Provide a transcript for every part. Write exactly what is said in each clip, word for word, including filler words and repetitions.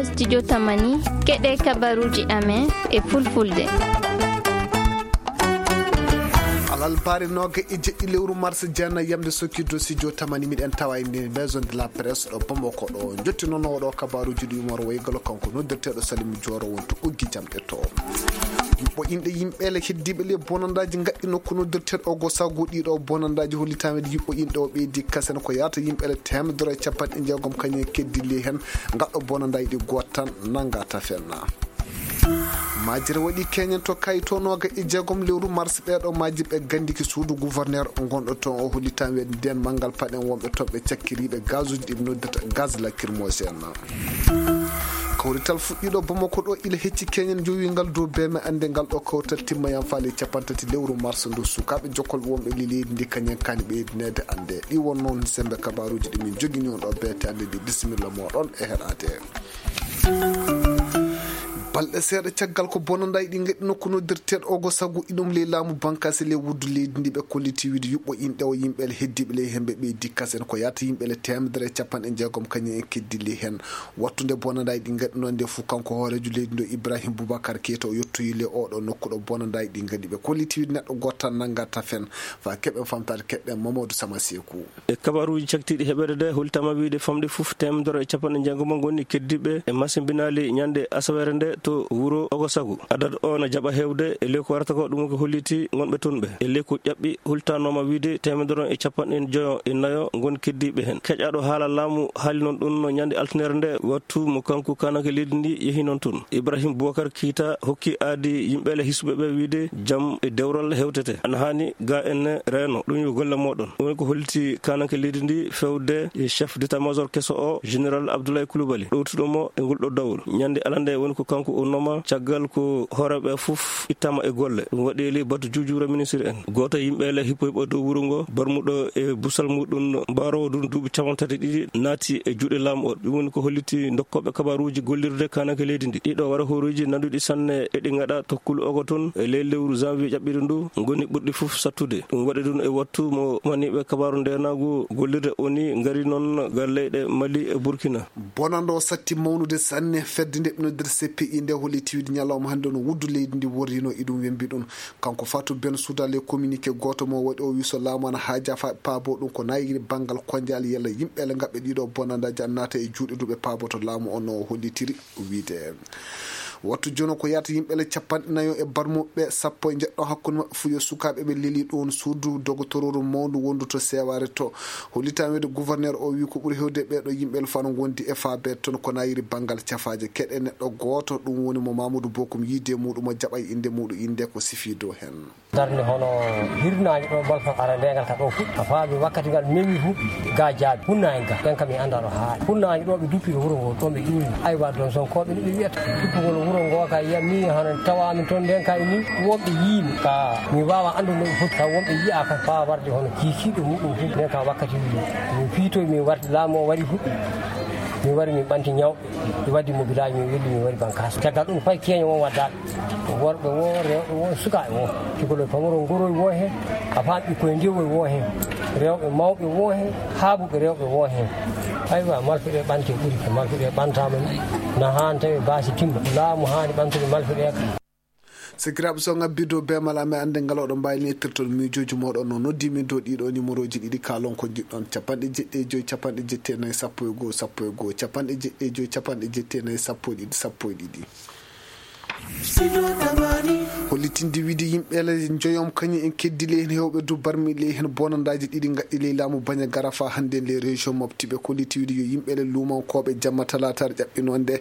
Studio Tamani, keɗe kabaruji amen e fulfulde. Alarba nooga e jeɗɗi lewru mars, jeenay yamde sokki dow studio Tamani, miɗen tawa e nder maison de la presse ɗo Bamako ɗo. Jottinoowo ɗo kabaruji ɗi Umar Waygalo, kanko noddirteeɗo Salimu Jooro, wonto ɓoggi jamɗe to. Yuɓɓo inɗe yimɓe le heddiiɓe le bonandaaji ngaɗɗi nokku noddirteeɗo Ogo Sagu. Ɗiɗo bonandaaji hollitaama e yuɓɓo inɗe o ɓeydi kasen ko yaata yimɓe le teemedere e capanɗe jeegom kañum e keddi le heen ngaɗɗo bonandaaji ɗi gooto tan nannga tafen. Majire waɗi keñen to kayito nooga e jeegom lewru mars. Ɓeeɗo majji ɓe gandiki suudu gouverneur ngonɗo toon o hollitaama weeɗde ndeen manngal paɗen wonɓe toon ɓe cakkiriiɓe gazuji ɗi ɓe noddata gaz lacrymogène. Kawrital fuɗɗiiɗo Bamako ɗo ila hecci keñen jowi ngal dow beme annde ngal ɗo kawtal timma yam faali capanɗe tati lewru mars ndu sukaaɓe jokkolɓe wonɓe li leydi ndi kañen kaani ɓeydineede annde. Ɗi won noon sembe kabaruji ɗi min jogini on ɗo beete annde ɗi bisimilla moɗon e heɗaade. Balɗe seeɗa caggal ko bonandaay ɗi ngaɗi nokku noddirteeɗo Ogo Sagu iɗum ley laamu bankaasi ley wuddu leydi ndi ɓe kolliti wiide yuɓɓo inɗe o yimɓe le heddiiɓe ley hemɓe ɓeydi kasen ko yaata yimɓe le teemedere e capanɗe jeegom kañum en keddi ley heen. Wattunde bonandaay ɗi ngaɗi noon nde fof kanko hooreejo leydi ndo Ibrahim Boubacar Keita o yottoyi le oɗo nokku ɗo bonandaay ɗi ngaɗi ɓe kolliti wiide neɗɗo gooto tan nannga tafen. Fa keɓen famtaade keɗɗen Mamadou Sama Seeku. E kabaruuji caktiiɗi heɓeede de, holtama wiyde famɗi fof teemedere e capanɗe jeegom ngoni keddiiɓe e masimbinaali ñande asaweere nde to wuro Ogosagu. Adad o na jaɓa heewde e ley ko warata ko, ɗum ko holliti ngonɓe toon ɓe. E ley ko ƴaɓɓi, holtanooma wiyde teemedere e capanɗe joyo e nayo ngoni keddiiɓe heen. Keƴaaɗo haala laamu haali noon ɗum no ñande altine nde, wattu mo kanko kaananke leydi ndi yehi noon toon. Ibrahim Boubacar Keita hokki aadi yimɓe le hisuɓe ɓe wiyde jam e dewral hewtete. Ana haani ga en reeno. Ɗum yo golle mooɗon. Ɗum woni ko holliti kaananke leydi ndi fewde e chef d'état-major keso o, général Abdoulaye Coulibaly, ɗowtuɗo mo e ngol ɗo dawol. Ñande alande woni ko kanko urnoma, caggal ko hooreeɓe fof ittama e golle. Ɗum waɗi e ley batu juujuure ministre en. Gooto e yimɓe le hippo hippo dow wuro ngo, barmuɗo e busal muɗum, mbaaroowo ɗum duuɓi capanɗe tati ɗiɗi, naati e juuɗe laamu o. Ɗum woni ko holliti dokkooɓe kabaruuji gollirde kaananke leydi ndi. Ɗiɗo wara hooruuji nanduɗi sanne e ɗi ngaɗa tokkulo ogo toon e ley lewru janvier ƴaɓɓiɗo ndu ngoni ɓurɗi fof sattude. Ɗum waɗi ɗum e wattu mo maniiɓe kabaaru ndeenaagu gollirde O N U ngari noon ga leyɗe Mali e Burkina. Bonannde o satti mawnude sanne. Fedde nde ɓe noddirta C P I nde holliti wiide ñalawma hannde no wuddu leydi ndi worrino, iɗum wembi ɗum. Kanko Fatou Bensouda, le communiqué gooto mo waɗi o wi so laamu ana haaja fa paabo ɗum ko nayiri banngal konjal yalla yimɓe le ngaɓɓe ɗiɗo bonandaaji ana naata e juuɗe ndu ɓe paaboto laamu o no hollitiri wiyde. Wattu jono ko yaata yimɓe le capanɗe nayo e barmuɓe sappo e jeɗɗo hakkunde maɓɓe fof yo sukaaɓe ɓe leli ɗoon suudu dogotororu mawndu wondu to Sewaare to. Hollitaama wiyde gouverneur o wi ko ɓuri hewde ɓeeɗo yimɓe le fano ngondi e faabeede toon ko nayiri banngal cafaaje keɗe neɗɗo gooto, ɗum woni mo Mamadou Bokum yiide muɗum o jaɓa e innde muɗum, innde ko sifi dow heen. Darnde hono hirnaange ɗo, balfa ara ndengal ka ɗo fuɗɗi. A faami wakkati ngal memi fu, ga jaabi. Funnaange ga, ɗen kam mi anndaa ɗo haaɗi. Funnaange ɗo ɓe duppi e wuro ngo, ɗo ɓe iwri. Aywa, ɗon Sonkooɓe ni ɓe wiyata. Duppugol wuro ngo ka yiya mi hano tawaami toon nden kay ni, wonɓe yiimi. Ka mi waawa anndude no ɓe foti, ka wonɓe yiya ka faa warde hono kiikiiɗe muɗum fu. Nden ka wakkati mi fiitoy, mi warti laamu o wari fu. Mi wari mi ɓanti ñawɓe, mi waddi mo village, mi welli, mi wari Bankaas. Caggal ɗum fay keeño won waddaɓe. Worɓe wo, rewɓe wo, sukaaɓe wo. Cukalel pamaro ngoroy wo heen, a faami ɓikkoy ndiwoy wo heen. Rewɓe mawɓe wo heen, haabuɓe rewɓe wo heen. Aywa, malfeɗe ɓante ɓuri, ko malfeɗe ɓantaama ni. Na haan tawi baasi timma. Laamu haani ɓantude malfeɗe ka. Sikiraaɓe, so ngabbi dow beemal amen, annde ngal oɗon mbaawi nettirtol miijooji mooɗon no noddi min dow ɗiɗo numéroji ɗiɗi kaalon ko njiɗɗon, capanɗe jeɗɗi e joy, capanɗe jetti e nayi, sappo e goo, sappo e goo, capanɗe jeɗɗi e joy, capanɗe jetti e nayi, sappo e ɗiɗi, sappo e ɗiɗi. Hollitinde wiide yimɓe le njoyom kañum en keddi ley heen heewɓe du barmi ley heen bonandaaji ɗiɗi ngaɗɗi ley laamu Bañagara fa hannde ley région Mopti. Ɓe kolliti wiide yo yimɓe le luumankooɓe jamma talaataare ƴaɓɓinoo nde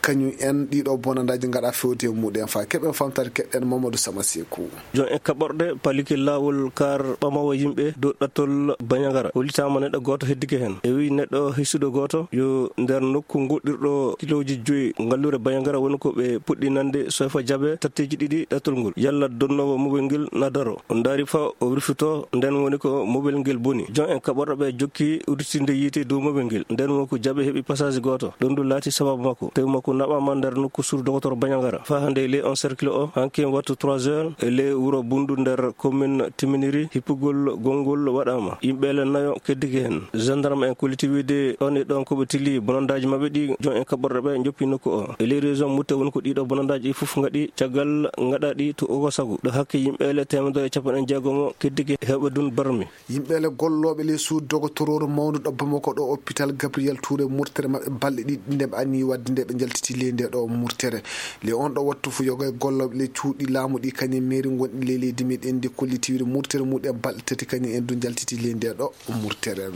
kañum en ɗiɗo bonandaaji ngaɗa fewde e muɗum en fa keɓen famtaade keɗɗen Mamadou Sama Seeku. Joom en kaɓorɗe palike laawol kar ɓamawa yimɓe dow ɗattol Bañagara. Hollitaama neɗɗo gooto heddike heen. E wi neɗɗo hisuɗo gooto yo nder nokku ngoɗɗirɗo kilooji joyi ngallure Bañagara woni ko ɓe puɗɗi nande Sofa jaɓe tatteeji ɗiɗi ɗatal ngol. Yalla donnoowo mobel ngel na daro. O ndaari fa o rufito, nden woni ko mobel ngel boni. Jon en kaɓorɗo ɓe jokki udditinde yiite dow mobel ngel. Nden woni ko jaɓe heɓi passage gooto. Ɗum ɗum laati sababu makko. Tew makko naɓaama nder nokku sur dogotor Bañangara. Fa hannde le on cercle o, hankin wattu trois heures, e le wuro Bundu nder commune Timiniri, hippugol gonngol waɗaama. Yimɓe le nayo keddike hen. Gendarme en kolliti wiide ɗon e ɗon ko ɓe tilli bonondaaji maɓɓe ɗi, jon en kaɓorɗo ɓe njoppi nokku o. E le région Mouta woni ko ɗiɗo bonondaaji ɗi fof ngaɗi caggal ngaɗaɗi to Ogosagu. Ɗo hakke yimɓe le teemedere e capanɗe jeegom keddike heewɓe dun barmi. Yimɓe le gollooɓe le suudu dogotorooro mawnuɗo Bamako ɗo hôpital Gabriel Touré murtere maɓɓe balɗe ɗiɗi nde ɓe anni wadde nde ɓe njaltiti le nde ɗo murtere. Le on ɗo wattu fu yoga e gollooɓe le cuuɗi laamu ɗi kañum mairie gonɗi le leydi meɗen ndi kolliti wiide murtere muɗen balɗe tati kañum en du njaltiti le nde ɗo murtere.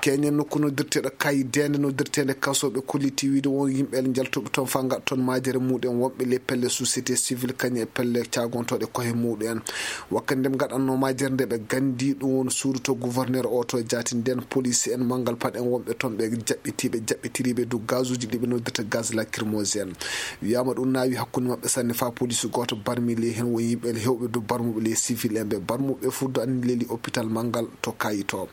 Keñen nokku noddirteeɗo Kayi Dende noddirteende kasooɓe kolliti wiide won yimɓe le njaltuɓe toon fa ngaɗa toon majere muɗen wonɓe le pelle société civile kañum e pelle caagontooɗe kohe muɗen. Wakkati nde ɓe ngaɗanno majere nde ɓe gandi ɗum won suudu to gouverneur o to jaati nden police en manngal paɗen wonɓe toon ɓe jaɓɓiti ɓe jaɓɓitiriɓe du gazuji ɗi ɓe noddirta gaz lacrymogène. Wiyama ɗum naawi hakkunde maɓɓe sanne fa police gooto barmi le hen won yimɓe le hewɓe du barmuɓe le civil en ɓe barmuɓe fuddo anni leli hôpital manngal to Kayi to.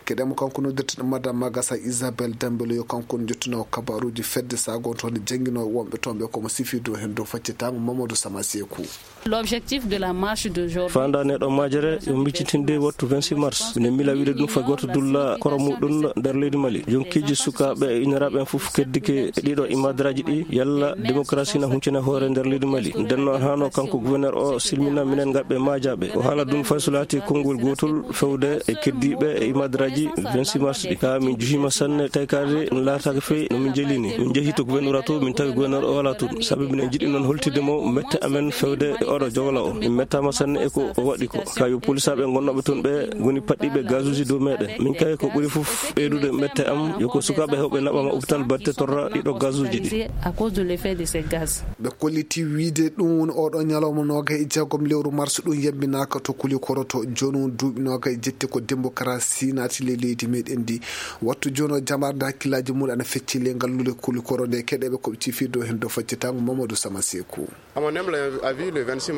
Keɗemo kanko noddirteɗo Madame Magasa Isabelle Dembélé yo kanko on jottino kabaruji fedde sagonto nde jangino wonɓe toon ɓe komo sifi dow hen dow faccetango Mamadou Samasekou. L'objectif de la marche d'aujourd'hui. Fanda neɗo majere yo miccitinde wattu vingt-six mars. Minen mila wiide ɗum fay goto dulla koro muɗum nder leydi Mali. Jonkiji sukaɓe e iniraɓe en fof keddike e ɗiɗo imadaraji ɗi yalla démocratie na huncina hoore nder leydi Mali. Nden noon hano kanko gouverneur o silmina minen ngalɓe majaɓe. O haala ɗum fay so laati konngol gotol fewde e keddiɓe e imadaraji vingt-six mars ɗi. Ka min juhima sanne taykade laatake fey no min jelini. Min jehi to gouverneur to min tawi gouverneur o wala toon. Sabi minen jiɗi noon holtide mo mette amen fewde e oɗo jogla o. Min mettama sanne e ko o waɗi ko. Kayo polisaɓe gonnoɓe toon ɓe goni paɗɗiɓe gazuji dow meɗen. Min kay ko ɓuri fof ɓeydude mette am yo ko sukaɓe hewɓe naɓama hôpital batte torra ɗiɗo gazuji ɗi. À cause de l'effet de ces gaz. Ɓe kolliti wiide ɗum woni oɗo ñalawma noga e jeegom lewru mars ɗum yambinaka to kuli koroto joni on duuɓi noga e jetti ko démocratie naati le leydi meɗen ndi. Wattu joni o jamarde hakkillaji muɗum ana fecci le ngal lule kuli koro nde keɗeɓe koɓe cifi dow hen dow faccetango Mamadou Samasekou.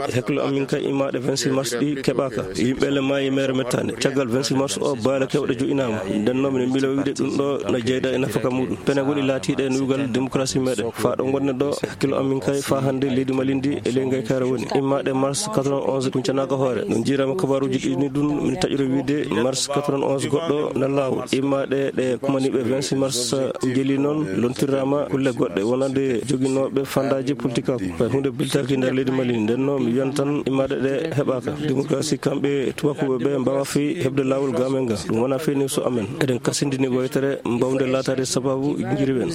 Hakkiilo amin kay imaɗe vingt-six mars ɗi keɓaka. Yimɓe le maayi mere mettande. Caggal vingt-six mars o baale kewɗe jo'inama. Nden noon minen mbilo wiide ɗum ɗo na jeyda e nafaka muɗum. Pene woni laatiɗe nuugal démocratie meɗen. Fa ɗo gonnen ɗo hakkiilo amin kay fa hannde leydi Mali ndi e ley ngaykare woni. Imaɗe mars quatre-vingt-onze kuncanaka hoore. No jiirama kabaruji ɗi ni ɗum min taƴude wiide mars quatre-vingt-onze goɗɗo na laawol. Imaɗe ɗe kumaniɓe vingt-six mars jeli noon lontirama kulle goɗɗe wonande joginooɓe fandaji politique. Ko hunde biltaki nder leydi Mali. Nden noon mi wiyan tan imaɗe ɗe heɓaka. Démocratie kamɓe tubakuɓe ɓe mbawa fi heɓde laawol gamen ga. Ɗum wona fini so amen. Eɗen kasindini woytere mbawde laatade sababu jiriwen.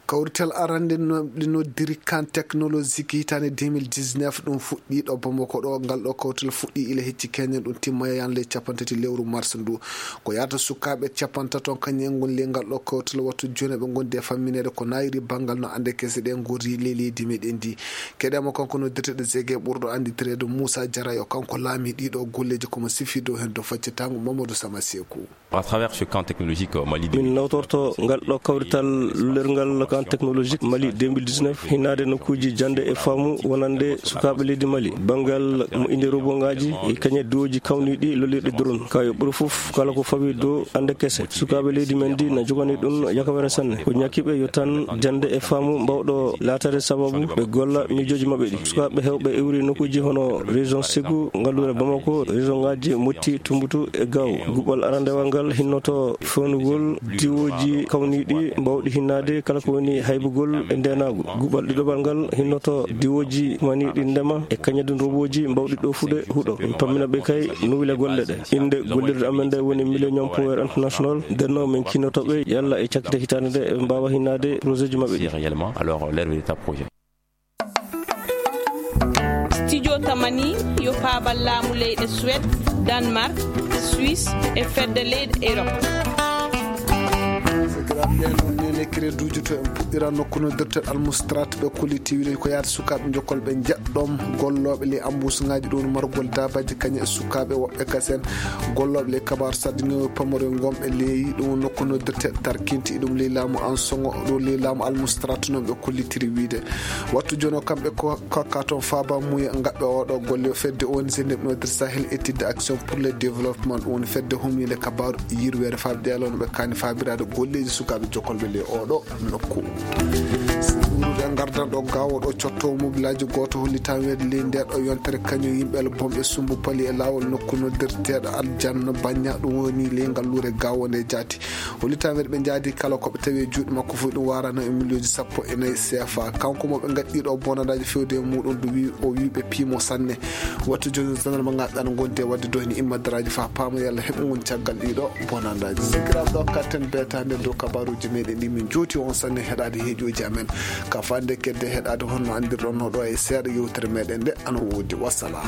Kawrital arande no-, ɗi noddiri kan technologique hitande deux mille dix-neuf ɗum fuɗɗi ɗo Bamako ɗo. Ngal ɗo kawrital fuɗɗi ila hecci keñen ɗum timma yan ley capantati lewru mars ndu. Ko yata sukaɓe capantato kañum en gon ley ngal ɗo kawrital wattu joni ɓe gondi e famminede ko nayiri bangal no ande kese ɗe gori ley leydi meɗen ndi. Keɗema kanko noddirteɗo Zege ɓurɗo anditirede Moussa Diarra yo kanko laami ɗiɗo golleji komo sifi dow hen dow faccetango Mamadou Samasekou. À travers ce camp technologique, euh, Mali min nawtorto ngal ɗo kawrital lulirngal camp technologique Mali deux mille dix-neuf, hinnaade nokkuuji jannde e faamu wonande sukaaɓe leydi Mali, banngal mo inde robot ngaji e kañe duwoji kawniiɗi lollirɗi drone. Ka yo ɓuri fof kala ko fawi dow annde kese. Sukaaɓe leydi men ndi na jogani ɗum yakawere sanne. Ko ñakiiɓe yo tan jannde e faamu mbawɗo laatade sababu ɓe golla miijooji maɓɓe ɗi. Sukaaɓe heewɓe iwri nokkuuji hono région Ségou, ngalluure Bamako, région ngaji Motti, Tumbutu e Gao. Guɓal arandewal ngal hinnoto fewnugol diwooji kawniiɗi mbawɗi hinnaade kala ko woni haybugol e ndeenaagu. Guɓal ɗiɗoɓal ngal hinnoto diwooji maniiɗi ndema e kañadun robooji mbawɗi ɗoofude huɗo. Min pammina ɓe kay nuwle golle ɗe. Innde gollirde amen nde woni Millennium Power International. Nden noon min kinnoto ɓe yalla e cakkite hitaande nde ɓe mbaawa hinnaade projet ji maɓɓe ɗi. Réellement, alors, leur véritable projet. Studio Tamani yo paabal laamu leyɗe Suède, Danemark, Suisse e fedde leyɗe Europe. Lekkireeduuji to en puɗɗira nokku noddirteeɗo almustrat ɓe kolliti wiide ko yaata sukaaɓe jokkol ɓe njeɗɗom gollooɓe ley ambusuŋaaji ɗum margol daabaaji kañum e sukaaɓe woɓɓe kasen gollooɓe ley kabaaru saɗɗinoowo pamore ngonɓe ley ɗum nokku noddirteeɗo tarkinti ɗum ley laamu ansoŋo ɗum ley laamu almustrat noon ɓe kollitiri wiide wattu jono kamɓe ko kokka toon faaba muya ngaɓɓe oɗo golle o fedde O N G neɓnodir Sahel étude action pour le développement ɗum woni fedde humiinde kabaaru yirweere faaɓe ɗeelo no ɓe kaani faabiraade golleeji sukaaɓe jokkolɓe ley oɗo nokku. Siwrude ngardan ɗo gaawo ɗo cotto mobilaaji gooto hollitaa weede ley ndeeɗo yontere kañum yimɓe el bomɓe sumbu pali e laawol nokku noddirteeɗo aljanna bañña ɗum woni ley ngalluure gaawo nde jaati. Hollitaa weede ɓe njaadi kala ko ɓe tawi e juuɗe makko fof ɗum waarano e miliyonji sappo e nayi C F A kanko mo ɓe ngaddi ɗo bonandaaji fewde e muɗum ɗum wi o wi ɓe piimo sanne. Wattu jooni zandarma ngaɓe ana ngondi e waɗde doyni immadaraaji faa paama yalla heɓugol caggal ɗiɗo bonandaaji sikkiraɓe ɗo katten beetande dow kabaruuji meɗen ɗi min jooti on sanne heɗaade heeƴooji amen ka fande kedde heɗaade honno anndirɗon no ɗo e seeɗa yewtere meɗen nde ana woodi wassalam.